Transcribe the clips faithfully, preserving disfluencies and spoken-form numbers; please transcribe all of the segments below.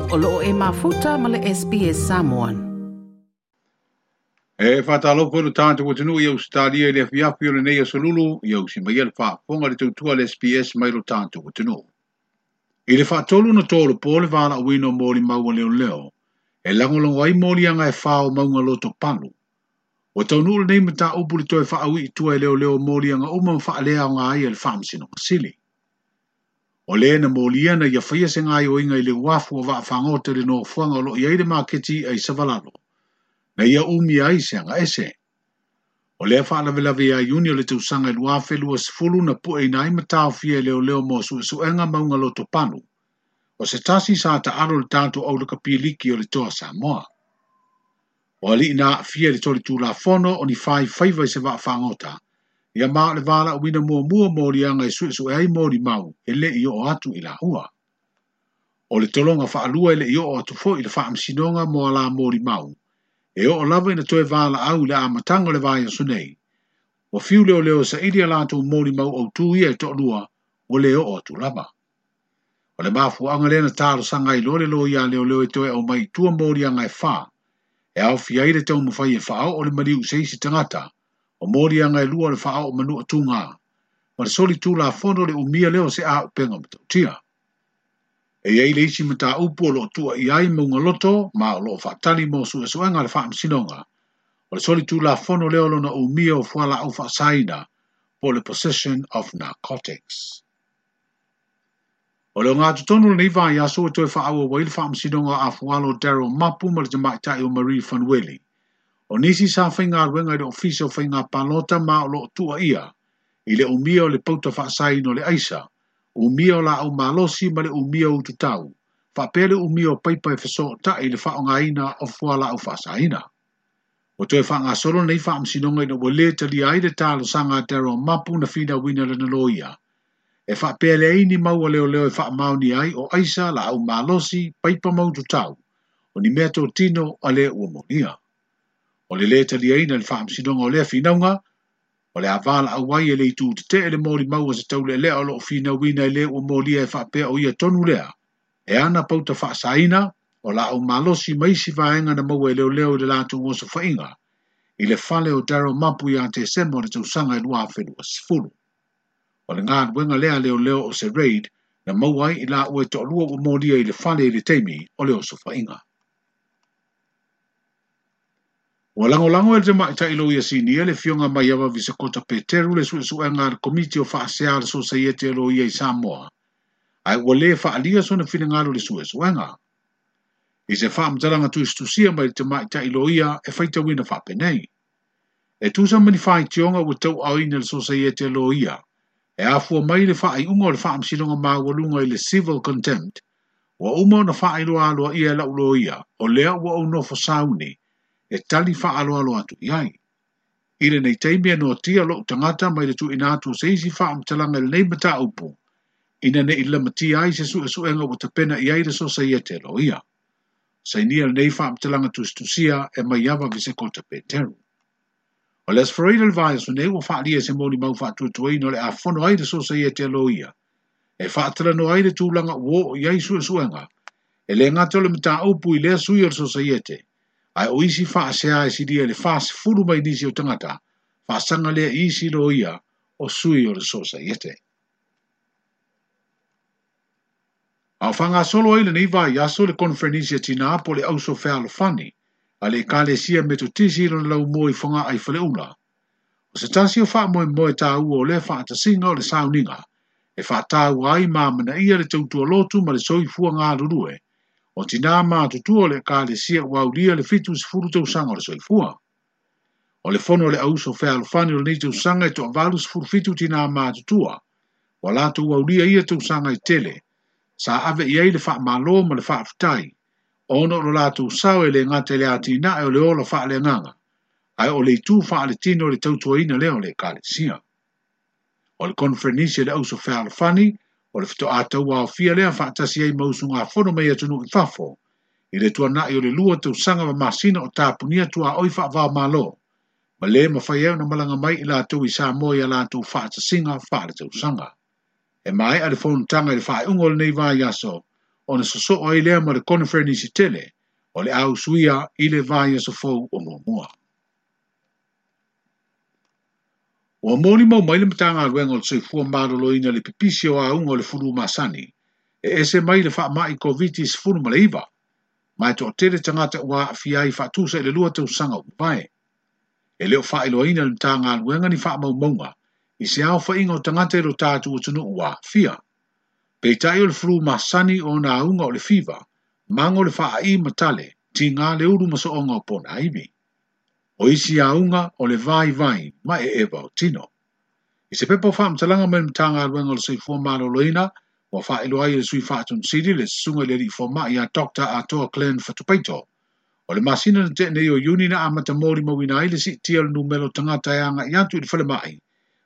O loo e mafuta ma le S B S Samoan. E whātalopo le tātou atunuu i Australia i le afiafi o lenei asolulu, i au si mai le whaafonga le tautua le S B S mai lo tātou atunuu. I le whaatolu na tōru pō le wāla uino mōli maua leo leo, e langolongo ai mōli anga e whāo maunga loto palu. O taunuu lenei mata upu le toe whaawi i tua e leo leo mōli anga uma mwhaalea o ngā ai e le whaamsino masili. O le na mōli ana ia whaia se ngai o inga i le wafu o waafangota le no fuanga o lo iai le maketi ai savalalo. Na ia umi ai se anga ese. O lea whaalawelawe ia iuni o le tausanga i luafe lua sefulu na pue ina ai matao fia e leo leo mo suesuenga maunga loto panu. O se tasi sa ta aro le tātou au le kapiliki o le toa Samoa. O ali ina fia le toli tūlafono o ni whai whaiva i se waafangota. Ia maa le wala uina mua mua mōri anga e suesue ai mōri mau e le i o atu i la ua. O le tolonga whaalua e le i o atu fo i le whaamsinonga mo ala mōri mau. E o lava ina toe wala au le amatanga le vai aso nei. O fiu leo leo sa ili a lātou mōri mau au tū ia e to'olua o le o atu lava. O le mafu anga lena tāro sanga i lore lo ia leo leo e toe au mai tua mōri anga e whā. E au fia i le tau mawhai e whaao o le mariu seisi tangata. O mōri anga e lua le whaao o manua tūngā. Ma le soli tū la fono le umia leo se a upenga matautia. E iei le isi mata upu o loo tua i ai maunga loto, ma o loo whaatali mo suesuenga le whaamsinonga. O le soli tū la fono leo lona umia o fuala au whaasaina po le possession of narcotics. O leo ngā tutonu le neiva i aso e toe whaaua wai le whaamsinonga a fualo Daryl Mapu ma le tamaitai o Marie Fanueli. O nisi sa whainga ruenga i le ofisa o whainga palota ma o loo tua ia, i le umia o le pauta whaasaina o le aisa, umia o la au malosi ma le umia o tutau, whaapele umia o paipa e whaso ta i le whaongaina o fuala au whaasaina. O toe whaanga solo nei whaamsinonga ina ua le talia ai le tālo sanga Daryl Mapu na whina wina le naloia. E whaapele aini maua leo leo e whaamaoni ai o aisa la au malosi paipa mau tutau, o ni mea tō tino a le ua monia. O le le talia ina le whaamsinonga o lea whinaunga, o le avala au ai e le itu te te ele mōri maua se taule lea o loo whina wina e le ua mōlia e whaapea o ia tonu lea. E ana pauta whaasaina, o la au malosi maisi vaenga na maua e leo leo i le lātou ngoso whainga, i le fale o Daryl Mapu i a te semo le tausanga i lua whenua sefulu. O le ngā wenga lea leo leo o se raid, na maua ai i la ue to'olua ua mōlia i le fale i le teimi o le oso whainga. Ua langolango e le tamaitai lo ia sinia le fionga mai awa Visakota Peteru le suesuenga le komiti o whaasea le sosaiete lo ia i Samoa. Ai ua le whaalia sona whinengalo le suesuenga. I se whaamtalanga tuistusia mai le tamaitai lo ia e whaitawina whaapenei. E tusa mani whaitionga ua tau auina le sosaiete lo ia. E afua mai le whaaiunga o le whaamsinonga maualunga i le civil contempt. Ua uma ona whaailoa aloa ia e lau lo ia o lea ua au nofo sauni. E tali whaaloalo atu i ai. I le nei teimi e noatia loo tangata mai le tuina atu o se isi whaamtalanga le nei mata upu. Ina ne i lamatia ai se suesuenga ua tapena i ai le sosaiete lo ia. Sainia le nei whaamtalanga tustusia e mai awa Visekota Peteru. O les Freida le vai aso nei ua whaalia se moni mau whaatuatuaina o le afono ai le sosaiete lo ia. E whaatalano ai le tūlanga uo i ai suesuenga. E le ngata o le mata upu i lea sui o le sosaiete. Ai o isi whaasea e siria le whaas furu mai nisi o tangata, whaasanga lea isi lo ia o sui o le sosaiete. Au whanga solo ai le nei vai aso le konferenisia tina po le auso fealofani, a le kalesia metotisi lo lau moi whanga ai whaleula. O se tasi o wha moe moe tā ua o le whaatasinga o le sauninga, e whaatau ai māmana ia le tautua lotu ma le soifua ngā rurue, o tina mātutua le kalesia ua aulia le fitu sefulu tausanga o le soifua. O le fono le auso fealofani o le nei tausanga e to'avalu sefulu fitu tina mātutua, wa lātou aulia ia tausanga i tele, sa ave i ai le whaamalo ma le whaaftai, ono o lātou sao e le ngata le atina e o le ola whaaleanganga, ai o le itu whaaletino le tautuaina leo le kalesia. O le konferenisia le auso fealofani, o le whito ātau ao fia lea whaatasi ai mausunga fono mai atunu i fafo, i le tuanai o le lua tausanga ma masina o tāpunia tua oi whaavao malo, ma le mawhai au na malanga mai i lātou i Samoa i a lātou whaatasinga whaale tausanga. E mai a le fonutanga i le whaeunga o le nei vai aso, Ona sosoo ai lea ma le koneferenisi tele o le a usuia i le vaiaso fou o muamua. Ua molimau mai le Matagaluega o le Soifua Maloloina le pipisi o auga o le fulu masani e ese mai le faamai Koviti sefulu ma le iva, ma e toatele tagata ua aafia ai faatusa i le lua tausaga ua mavae. E le o faailoaina le Matagaluega ni faamaumauga i se aofaiga o tagata i lo tatou atunuu ua aafia. Peitai o le fulu masani o ona auga o le fiva, mago le faa'i ma tale, tiga le ulu ma so'oga o ponaivi. O isi auga o le vaivai ma e eva o tino. I se pepa o faamatalaga mai le Matagaluega o le Soifua Maloloina, ua faailoa ai e le sui faatonusili le susuga i le alii fomai ia Doctor Atoa Glenn Fatupaito. O le masina na tea nei o Iuni na amata molimauina ai le siitia o le numera o tagata e agai atu i le falemai,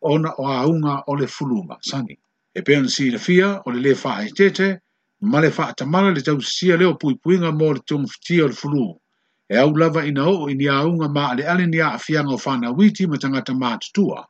ona o auga o le fulu masani. E pei ona silafia o le le faaeteete ma le faatamala le tausisia lea o puipuiga mo le togafitia o le fulu. E au lava ina oo i ni auga maaleale ni aafiaga o fanauiti ma tagata matutua,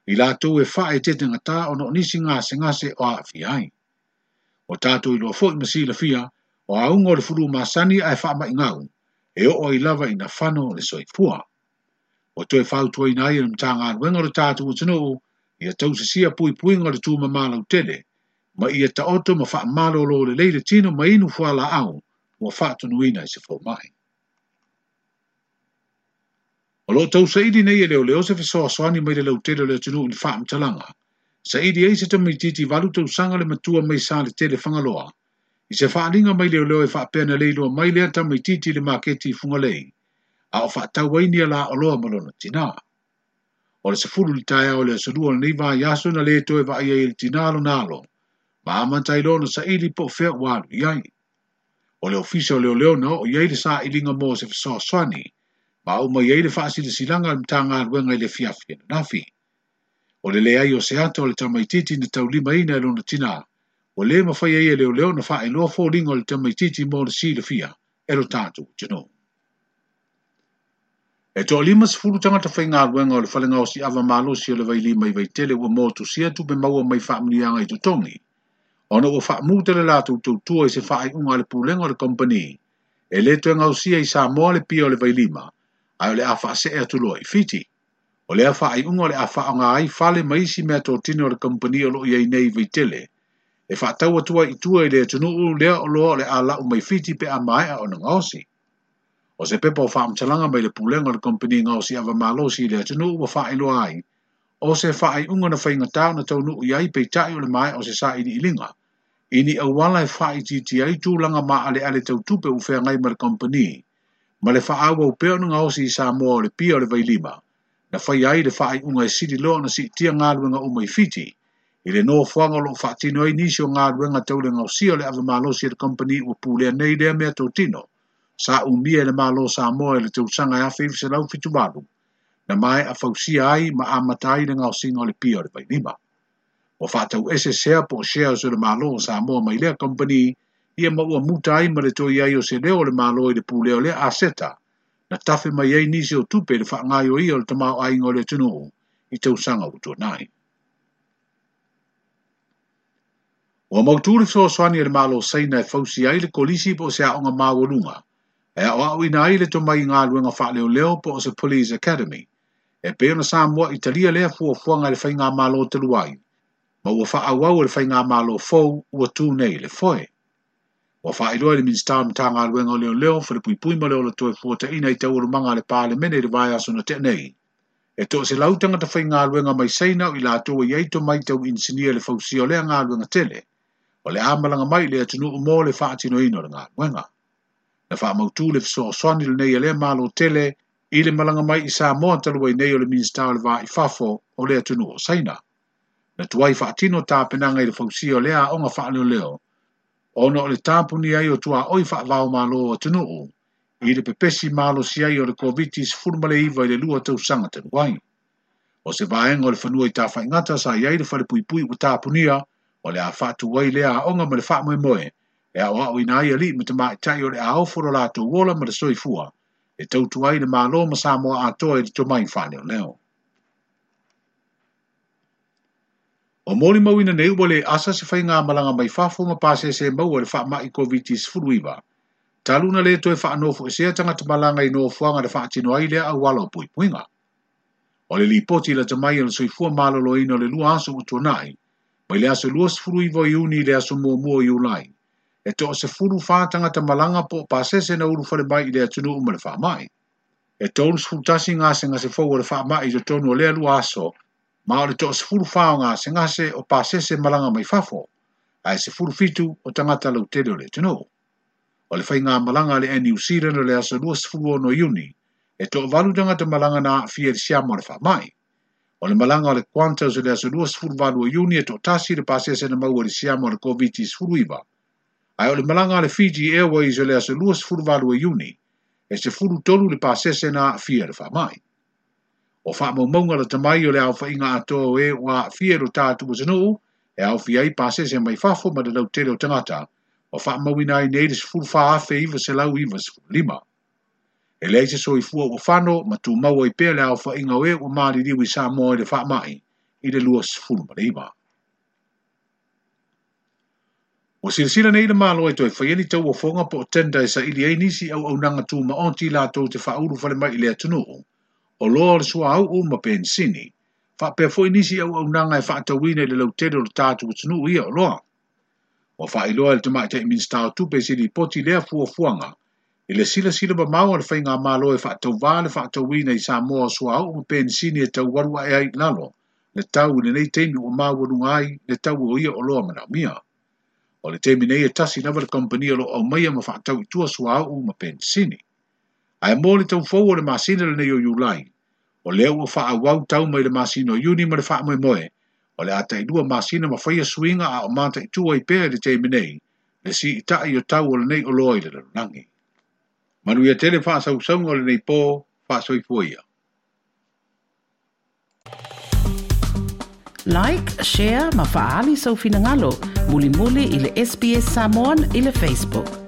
i latou e faaeteete gata ona o nisi gasegase o aafia ai. O tatou iloa foi ma silafia, o auga o le fulu masani ae faamaigau, e oo ai lava ina fano le soifua. Ua toe fautuaina ai e le Matagaluega o le tatou atunuu, ia tausisia puipuiga o le tumama lautele, ma ia taoto ma faamalolo lelei le tino ma inu fualaau ua faatunuina i se fomai. O loo tausaili nei e leoleo se fesoasoani mai le lautele o le atunuu i ni faamatalaga. Saili ai se tamaitiiti valu tausaga le matua mai sa le tele Fagaloa. I se faaliga mai leoleo e faapea na leiloa mai lea tamaitiiti i le maketi i Fugalei, a o faatau ai ni ala oloa ma lona tinā. O le sefulu i le taeao o le aso lua o lenei vaiaso na le toe vaai ai e le tinā lona alo, ma amata ai loa ona saili po o fea ua alu i ai. O le ofisa o leoleo na oo i ai le sailiga mo se fesoasoani, ma oo mai ai le faasilasilaga a le Matagaluega i le afiafi ananafi. O le leai o se ata o le tamaitiiti na taulimaina e lona tinā, ua le mafai ai e leoleo na faailoa foliga o le tamaitiiti mo le silafia e lo tatou atunuu. E toalima sefulu tagata faigaluega o le fale gaosi'ava malosi o le Vailima i Vaitele ua motusia tupe maua mai faamanuiaga i totogi, ona ua faamuta le latou tautua i se faaiuga a le pulega o le kompani e le toe gaosia i Samoa le pia o le Vailima, ae o le a faasee atu loa i Fiti. O lea faaiuga o le a faaaoga ai fale ma isi meatotino o le kompani o loo i ai nei i Vaitele, e faatau atu ai i tua i le atunuu lea oloa o le a lau mai Fiti pe a maea ona gaosi. O se pepa o faamatalaga mai le pulega o le kompani gaosi'ava malosi i le atunuu ua faailoa ai, o se faaiuga na faigata ona taunuu i ai peitai o le maea o se sailiiliga, i ni auala e faaitiitia ai tulaga maaleale tautupe ua feagai ma le kompani, ma le faaauau pea ona gaosi i Samoa o le pia o le Vailima, na faia ai le faaiuga e sili loa ona siitia galuega uma i Fiti, i le nofoaga o loo faatino ai nisi o galuega tau le gaosia o le ava malosi e le kompani ua pulea nei lea meatotino, sa umia e le Malo Samoa i le tausaga e afe iva selau fitu valu, na maea fausia ai ma amata ai le gaosiga o le pia o le Vailima. Ua faatauese sea po o shares o le Malo o Samoa mai lea kompani, ia ma ua muta ai ma le toe i ai o se leo o le Malo i le pulea o lea aseta, na tafe mai ai nisi o tupe i le faagaoioia o le tamaoaiga o le atunuu i tausaga ua tuanai. Ua mautū le fesoasoani a le Malo Saina e fausia ai le kolisi po o se aoga maualuga, e aoaoina ai le tomai i galuega faaleoleo po o se Police Academy, e pei ona Samoa i talia lea fuafuaga e le faigamalo talu ai, ma ua faaauau e le faigamalo fou ua tū nei i le foe. Ua faailoa e le Minisita o Matagaluega o Leoleo, Falepuipui ma le Ola Toe Fuataina i taualumaga a le Palemene i le vaiaso na tea nei. E toaselau tagata faigaluega mai Saina o i latou e i ai tomai tau inisinia i le fausia o lea galuega tele, o le a malaga mai i le atunuu mo le faatinoina o le galuega. Na faamautū le fesoasoani lenei a lea malo tele i le malaga mai i Samoa talu ai nei o le Minisita o le Va i Fafo o le atunuu o Saina. Na tuai faatino tapenaga i le fausia o lea aoga faaleoleo, ona o le tapuni ai o tuaoi faavaomalo o atunuu i le pepesi malosi ai o le Koviti sefulu ma le iva i le lua tausaga talu ai. O se vaega o le fanua i Tafaigata sa i ai le falepuipui ua tapunia, o le a faatu ai lea aoga ma le faamoemoe, e aoaoina ai alii ma tamaitai o le a ofo lo latou ola ma le soifua, e tautua ai le Malo ma Samoa atoa i le tomai faaleoleo. O molimauina nei ua le asa se faigamalaga mai fafo ma pasese maua i le faamai Koviti sefuluiva. Talu na le toe faanofoesea tagata malaga i nofoaga na faatino ai lea auala o puipuiga. O le lipoti lata mai o le soifua maloloina o le lua aso ua tuanai, mai le aso luasefuluiva o Iuni i le aso muamua o Iulai, e toasefulufa tagata malaga po o pasese na ulufale mai i le atunuu ma le faamai. E tolusefulu tasi gasegase fou o le faamai i totonu o lea lua aso, ma o le toasefulufa o gasegase o pasese malaga mai fafo, ae sefulufitu o tagata lautele o le atunuu. O le faigamalaga a le Air New Zealand o le aso luasefuluono o Iuni, e toavalu tagata malaga na aafia i le siama o le faamai. O le malaga o le Qantas o le aso luasefuluvalu o Iuni e toatasi le pasese na maua i le siama o le Koviti sefuluiva. Ae o le malaga a le Fiji Airways o le aso luasefuluvalu o Iuni, e sefulutolu le pasese na aafia i le faamai. O faamaumauga lata mai o le aofaiga atoa o e ua aafia i lo tatou atunuu, e aofia ai pasese mai fafo ma le lautele o tagata, ua faamauina ai nei le sefulufa afe iva selau iva sefululima. E leai se soifua ua fano ma tumau ai pea le aofaiga o e ua maliliu i Samoa i le faamai i le luasefulu ma le iva. Ua silasila nei le Malo e toe faia ni tauofoga po o tender e saili ai nisi auaunaga tumaoti latou te faaulufale mai i le atunuu, oloa o le suauu ma penisini, faapea foi nisi auaunaga e faatauina i le lautele o le tatou atunuu ia oloa. Ua faailoa e le Tamaitai Minisita o Tupe i se lipoti lea fuafuaga i le silasila mamao a le faigamalo e faatauvā le faatauina i Samoa o suauu ma penisini e taualu ae ai i lalo le tau i lenei taimi ua maualuga ai le tau o ia oloa manaomia. O le taimi nei e tasi lava le kamupani o lo o aumaia ma faatau i tua suauu ma penisini. Ae mo le taufou o le masina lenei o Iulai, o lea ua faaauau tau mai le masina o Iuni ma le faamoemoe, o le a tailua masina ma faia suiga a o mataitu ai pea i le taimi nei, le siitai o tau o lenei oloa i le lalolagi. Manuia tele faasausauga o lenei po, faasoifua ia. Like, share ma faaali sou finagalo, mulimuli i le S B S Samoan i le Facebook.